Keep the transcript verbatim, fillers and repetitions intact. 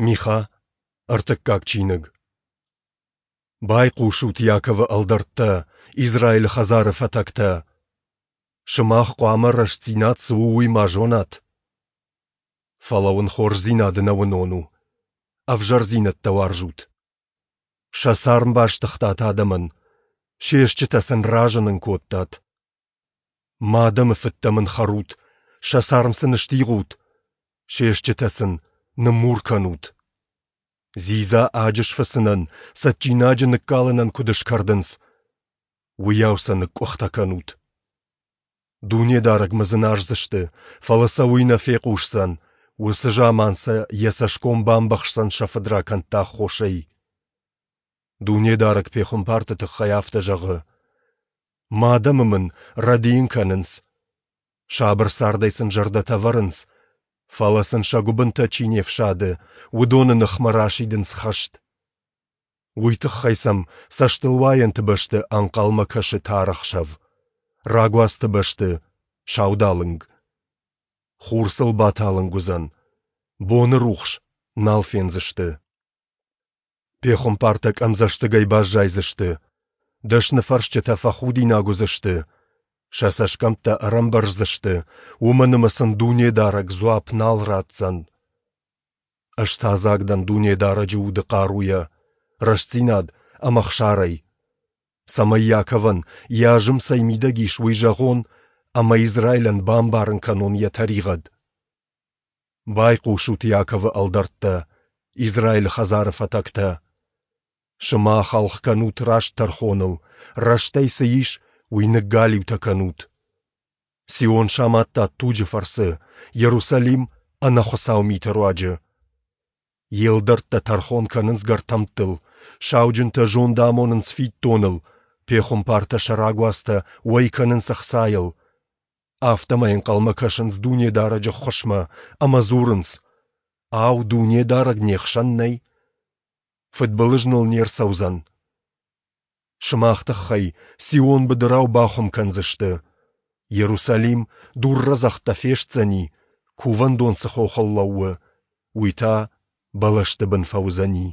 Миха, ӕртыккаг чиныг. Байхъусут, Иаковы ӕлдӕрттӕ, Израилы хӕдзары фӕтӕгтӕ! Сымах хъуамӕ рӕстдзинад цы у, уый ма зонат. Фӕлӕ уын хорздзинад ӕнӕуынон у. Ӕвзӕрдзинӕдтӕ уарзут. Сӕ царм бастыгътат адӕмӕн, се стджытӕ сын разынын кодтат. Мӕ адӕмы фыдтӕ мын хӕрут, сӕ царм сын стигъут, се стджытӕ сын ныммур кӕнут. Дзидза аджы сфыцынӕн, цӕджджинаджы ныккалынӕн куыд скӕрдынц, уыйау сӕ ныкъкъуыхтӕ кӕнут. Дунедарӕгмӕ дзыназдзысты, фӕлӕ сӕ уый нӕ фехъусдзӕн, уыцы заман сӕ йӕ цӕсгом бамбӕхсдзӕн сӕ фыдракӕндты аххосӕй. Дунедарӕг пехуымпарты тыххӕй афтӕ зӕгъы: Мӕ адӕмы мын рӕдийын кӕнынц. Сабыр цардӕй сын зӕрдӕтӕ вӕрынц, фӕлӕ сын сӕ гуыбынтӕ чи не фсады, уыдоны ныхмӕ расидынц хӕст. Уый тыххӕй сӕм цӕстылуайӕнты бӕсты ӕнхъӕлмӕ кӕсы тар ӕхсӕв, рагуацты бӕсты — саудалынг. Хур сыл баталынг уыдзӕн, боны рухс нал фендзысты. Пехуымпартӕ къӕмдзӕстыгӕй баззайдзысты, дӕсныфӕрсджытӕ фӕхудинаг уыдзысты, сӕ цӕсгӕмттӕ ӕрӕмбӕрздзысты, уымӕн ӕмӕ сын Дунедарӕг дзуапп нал ратдзӕн. Ӕз та дзаг дӕн Дунедарӕджы уды хъаруйӕ, рӕстдзинад ӕмӕ ӕхсарӕй, цӕмӕй Иаковӕн йӕ азым цӕй мидӕг ис, уый зӕгъон ӕмӕ Израилӕн бамбарын кӕнон йӕ тӕригъӕд. Байхъусут, Иаковы ӕлдӕрттӕ, Израилы хӕдзары фӕтӕгтӕ! Сымах ӕлгъ кӕнут раст тӕрхоныл, рӕстӕй цы ис, уый ныггалиутӕ кӕнут. Сион самадтат туджы фӕрцы, Иерусалим — ӕнӕхуыцау миты руаджы. Йе лдӕрттӕ тӕрхон кӕнынц гӕртӕмттыл, сауджынтӕ зонд амонынц фиддоныл, пехуымпартӕ сӕ рагуацтӕ уӕй кӕнынц ӕхцайыл. Афтӕмӕй ӕнхъӕлмӕ кӕсынц Дунедарӕджы ӕххуысмӕ ӕмӕ дзурынц: Ау, Дунедарӕг не хсӕн нӕй? Фыдбылыз ныл не рцӕудзӕн. Сымах тыххӕй Сион быдырау бахуым кӕндзысты. Иерусалим дуррӕдзӕгъдтӕ фестдзӕни, кувӕндон цы хохыл лӕууы, уый та бӕлӕсты бын фӕуыдзӕни.